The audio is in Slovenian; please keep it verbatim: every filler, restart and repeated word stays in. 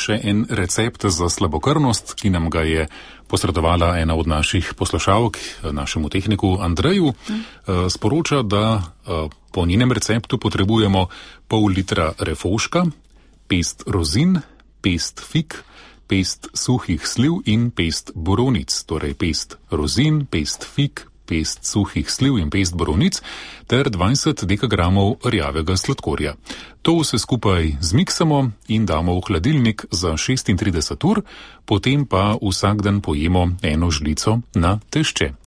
še en recept za slabokrvnost, ki nam ga je posredovala ena od naših poslušalk, našemu tehniku Andreju. Sporoča, da po njenem receptu potrebujemo pol litra refoška, pest rozin, pest fig, pest suhih sliv in pest borovnic, torej pest rozin, pest fig, pest suhih sliv in pest borovnic ter dvajset dekagramov rjavega sladkorja. To vse skupaj zmiksamo in damo v hladilnik za šestintrideset ur, potem pa vsak dan pojemo eno žlico na tešče.